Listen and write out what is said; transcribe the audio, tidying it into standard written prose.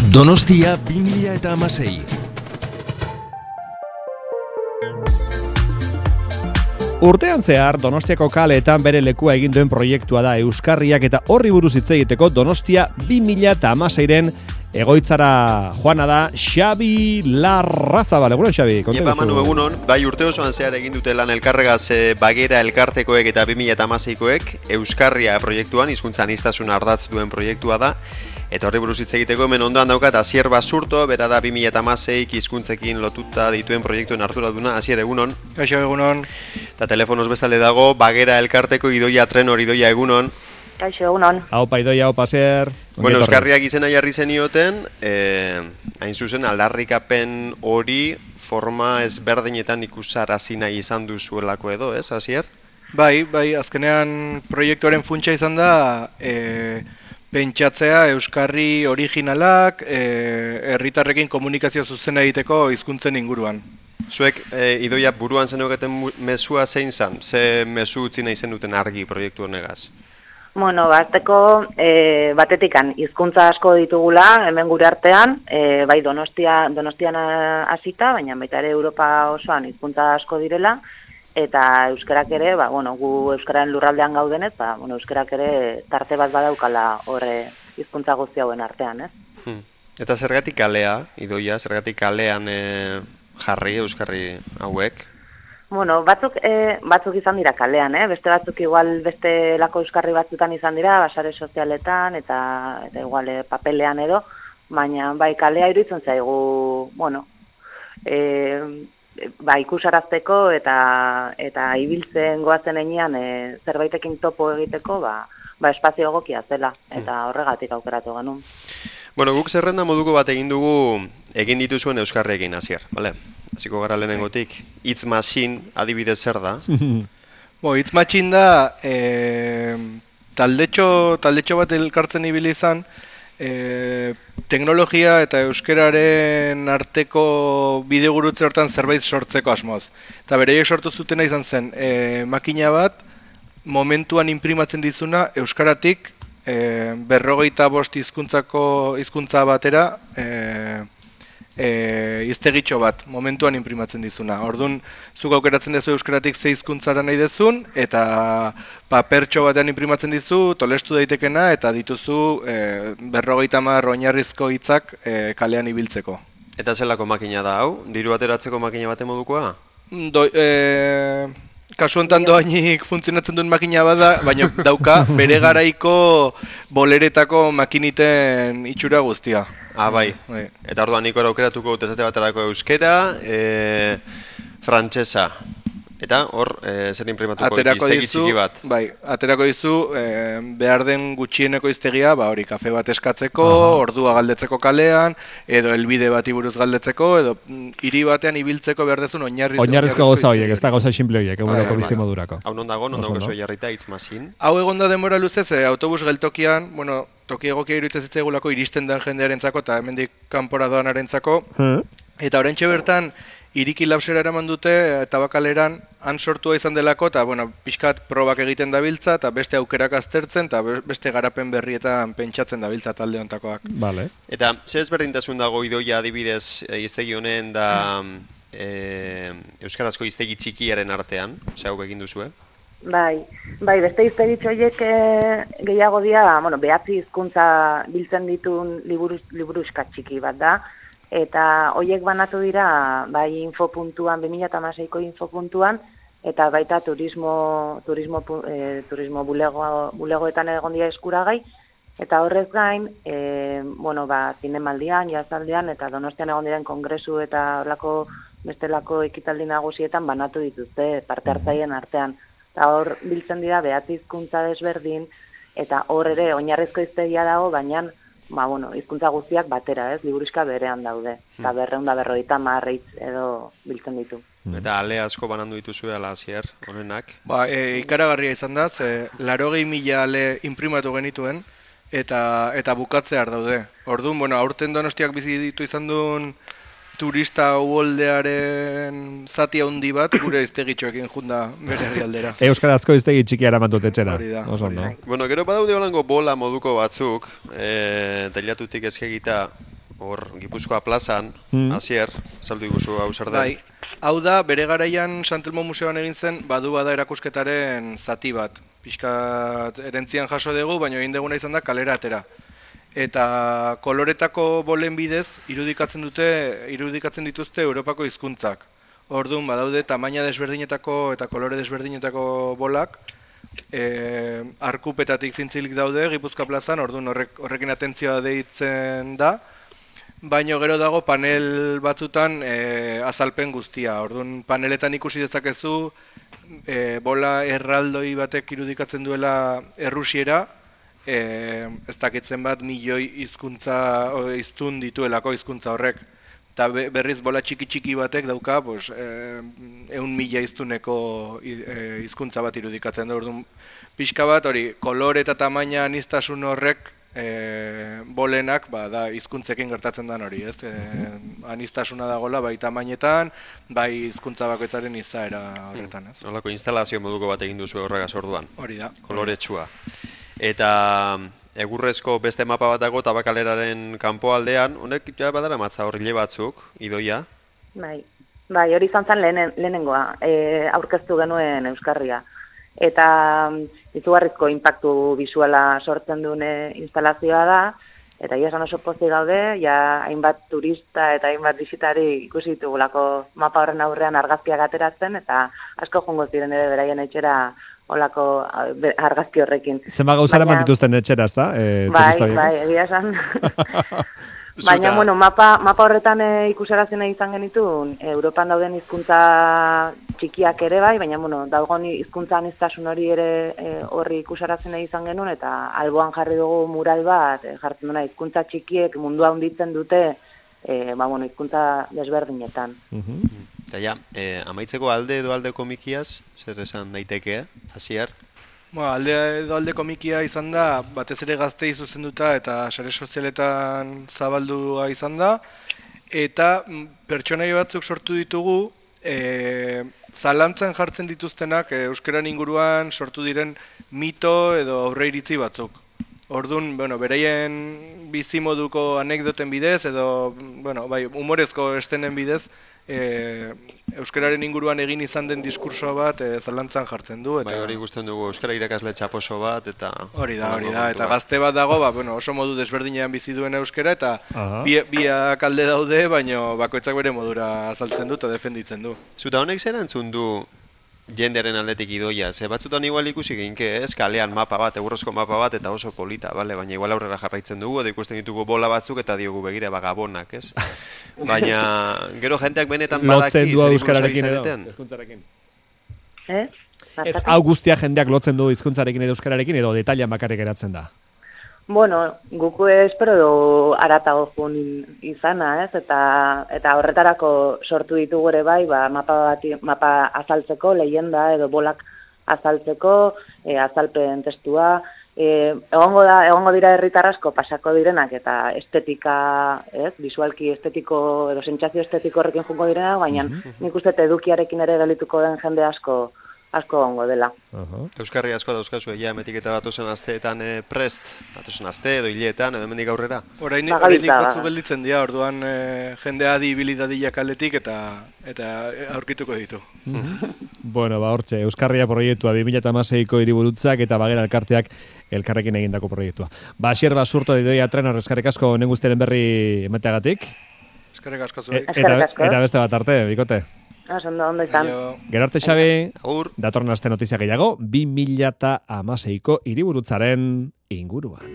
Donostia 2016. Urtean zehar, Donostiako kaleetan bere lekua egin duen proiektua da Euskarriak eta horri buruz hitz egiteko Donostia 2016ren egoitzara joana da Xabi Larrazabal. Egunon, Xabi? Iepa, Manu, egunon. Bai, urte osoan zehar egin dute lan elkarregaz Bagera elkartekoek eta 2016koek Euskarria proiektuan, hizkuntza aniztasuna ardatz duen proiektua da. Eta horri buruz hitz egiteko hemen ondoan daukat Asier Basurto, bera da 2016 hizkuntzekin lotuta dituen proiektuen arduraduna. Asier, egunon. Kaixo, egunon. Eta telefonoz bestalde dago Bagera elkarteko Idoia Trenor. Idoia, egunon. Kaixo, egunon. Aupa, Idoia, aupa, Asier. Bueno, Euskarriak izena jarri zenioten, hain zuzen aldarrikapen hori forma ezberdinetan ikusarazi nahi izan duzuelako edo, ez, Asier? Bai, azkenean proiektuaren funtsa izan da pentsatzea Euskarri originalak, herritarrekin komunikazio zuzena egiteko hizkuntzen inguruan. Zuek, Idoia, buruan zenuketen mezua zein zan? Ze mezu utzi nahi zenuten argi proiektu honegaz? Bueno, batetikan hizkuntza asko ditugula hemen gure artean, bai Donostian hasita, baina baita ere Europa osoan hizkuntza asko direla, eta euskarak ere, gu euskararen lurraldean gaudenez, euskarak ere tarte bat badaukala horre hizkuntza guzti hauen artean, ez? Eta zergatik kalea, Idoia, zergatik kalean jarri euskarri hauek? Bueno, batzuk izan dira kalean, beste batzuk igual beste lako euskarri batzutan izan dira, basare sozialetan eta igual papelean edo, baina bai kalea iruditzen zaigu, ikusarazteko eta ibiltzen goazen enean zerbaitekin topo egiteko, espazio egokia zela, eta horregatik aukeratu genuen. Bueno, guk zerrenda moduko bat egin dugu egin dituzuen euskarriekin, Asier, bale? Hasiko gara lehenengotik. Hitz machine adibidez zer da? Hitz machine da taldetxo bat elkartzen ibili izan, teknologia eta euskararen arteko bidegurutze hortan zerbait sortzeko asmoz. Eta bereiek sortu zutena izan zen, makina bat momentuan inprimatzen dizuna euskaratik 55 hizkuntza batera hiztegitxo bat momentuan inprimatzen dizuna. Orduan, zuk aukeratzen duzu euskaratik ze hizkuntzara nahi dezun, eta papertxo batean inprimatzen dizu, tolestu daitekena, eta dituzu 50 oinarrizko hitzak kalean ibiltzeko. Eta zelako makina da hau? Diru ateratzeko makina bate modukoa? Kasu honetan doainik funtzionatzen duen makina bada, baina dauka bere garaiko boleretako makiniten itxura guztia. Bai. Eta orduan niko aukeratuko dut esate baterako euskera, frantsesa. Eta hor, zer inprimatuko hiztegi txiki bat? Bai, aterako dizu behar den gutxieneko hiztegia, hori kafe bat eskatzeko, ordua galdetzeko kalean, edo helbide bati buruz galdetzeko, edo hiri batean ibiltzeko behar dezun oinarrizko gauza horiek, ez da gauza simple horiek, eguneroko bizimodurako. Hau non dago jarrita hitz machine? Hau egon da denbora luzez, autobus geltokian, toki egokia iruditzen zitzaigulako iristen den jendearentzako eta hemendik kanpora doanarentzako. Eta oraintxe bertan Iriki lapsera eraman dute Tabakaleran han sortua izan delako eta pixkat probak egiten dabiltza eta beste aukerak aztertzen eta beste garapen berrietan pentsatzen dabiltza talde honetakoak. Vale. Eta ze ezberdintasun dago Idoia adibidez hiztegi honen da euskarazko hiztegi txikiaren artean, ze hau egin duzue? Bai, beste hiztegitxo horiek gehiago dira, 9 hizkuntza biltzen ditun liburuxka txiki bat da. Eta horiek banatu dira, bai infopuntuan, 2016ko infopuntuan, eta baita turismo bulegoetan egon dira eskuragai, eta horrez gain, zinemaldian, jazaldian, eta Donostian egon diren kongresu eta bestelako ekitaldi nagusietan banatu dituzte parte hartzaileen artean. Eta hor biltzen dira 9 hizkuntza desberdin, eta hor ere oinarrizko hiztegia dago, baina hizkuntza guztiak batera, liburuxka berean daude. Eta 250 hitz edo biltzen ditu. Eta ale asko banandu dituzue ala Asier, honenak? Ikaragarria izan da, 80.000 ale inprimatu genituen, eta bukatzear daude. Orduan, aurten Donostiak bizi ditu izan duen turista uholdearen zati handi bat gure hiztegitxoekin junda bere herrialdera. Euskarazko hiztegi txikia eraman dut etxera. Oso, no? Bueno, gero badaude holango bola moduko batzuk, teilatutik eskegita hor Gipuzkoa plazan, Asier, saldu iguzu hau zer den. Bai, hau da, bere garaian Santelmo Museoan egin zen, badu bada erakusketaren zati bat. Pixkat erentzian jaso dugu, baina egin duguna izan da kalera atera. Eta koloretako bolen bidez irudikatzen dituzte Europako hizkuntzak. Orduan, badaude tamaina desberdinetako eta kolore desberdinetako bolak, arkupetatik zintzilik daude Gipuzkoa plazan, orduan horrekin atentzioa deitzen da, baina gero dago panel batzutan azalpen guztia. Orduan, paneletan ikusi dezakezu bola erraldoi batek irudikatzen duela errusiera, ez dakitzen bat milioi hiztun dituelako hizkuntza horrek. Eta berriz bola txiki batek dauka 100.000 hiztuneko hizkuntza bat irudikatzen du. Orduan, pixka bat hori kolore eta tamaina aniztasun horrek bolenak da hizkuntzekin gertatzen den hori, ez? Aniztasuna dagoela bai tamainetan, bai hizkuntza bakoitzaren izaera horretan, ez? Holako instalazio moduko bat egin duzu horregaz orduan. Hori da. Koloretsua. Eta egurrezko beste mapa bat dago Tabakaleraren kanpoaldean, honek ja badara matza horrile batzuk, idoia? Bai, hori izan zen lehenengoa, aurkeztu genuen Euskarria. Eta izugarrizko inpaktu bisuala sortzen duen instalazioa da, eta ia esan oso pozik gaude, ja hainbat turista eta hainbat bisitari ikusi ditugulako mapa horren aurrean argazkiak ateratzen, eta asko joango ziren ere beraien etxera olako argazki horrekin. Zenba gauzara mantituzten etxera, ezta? Bai, egia esan. Baina, mapa horretan ikusarazena izan genitun, Europan dauden hizkuntza txikiak ere bai, baina, dagoen hizkuntza aniztasun hori ere horri ikusarazena izan genuen, eta alboan jarri dugu mural bat, jartzen duna hizkuntza txikiek mundua hunditzen dute, hizkuntza desberdinetan. Eta ja, amaitzeko alde edo alde komikiaz, zer esan daiteke, Asier? Alde edo alde komikia izan da, batez ere Gaztei zuzenduta eta sare sozialetan zabaldua izan da, eta pertsonai batzuk sortu ditugu, zalantzan jartzen dituztenak euskeran inguruan sortu diren mito edo aurreiritzi batzuk. Orduan, beraien bizimoduko anekdoten bidez edo, humorezko estenen bidez, euskararen inguruan egin izan den diskurso bat zalantzan jartzen du. Bai, hori ikusten dugu, euskara irakasle txaposo bat, eta... Hori da, eta gazte bat dago, oso modu desberdinean bizi duen euskara, eta biak alde daude, baina bakoitzak bere modura azaltzen du eta defenditzen du. Zuta honek zer antzun du jendearen aldetik idoia, batzutan igual ikusi ginke, kalean mapa bat, egurrezko mapa bat, eta oso polita, baina igual aurrera jarraitzen dugu, edo ikusten ditugu bola batzuk, eta diogu begira gabonak, ez? Baina, gero jenteak benetan badaki, lotzen du euskararekin edo, hizkuntzarekin. Hau guztia jendeak lotzen du hizkuntzarekin edo euskararekin, edo detailan bakarrik geratzen da? Guku espero du aratago jun izana, ez? Eta horretarako sortu ditugu ere bai, mapa azaltzeko, leyenda edo bolak azaltzeko, azalpen testua. Egongo dira herritar asko pasako direnak eta estetika, ez? Visualki estetiko edo sentsazio estetiko horrekin jungo direna, baina nik uste edukiarekin ere gelituko den jende asko ongo dela. Euskarri asko dauzkazu, emetik eta batozen asteetan prest, batozen aste edo hileetan, edo hemendik aurrera? Horreinik batzu gelditzen dira, orduan jendea adibilidadiak aletik eta aurkituko ditu. Hortxe, Euskarria proiektua 2016ko hiriburutzak eta Bagera elkarteak elkarrekin egindako proiektua. Asier Basurto Idoia Trenor, eskerrik asko honen guztiaren berri emateagatik. Eskerrik asko zuek. Eta beste bat arte, bikote. Ondo izan. Gero arte, Xabi, datorren aste notizia gehiago, 2016ko hiriburutzaren inguruan.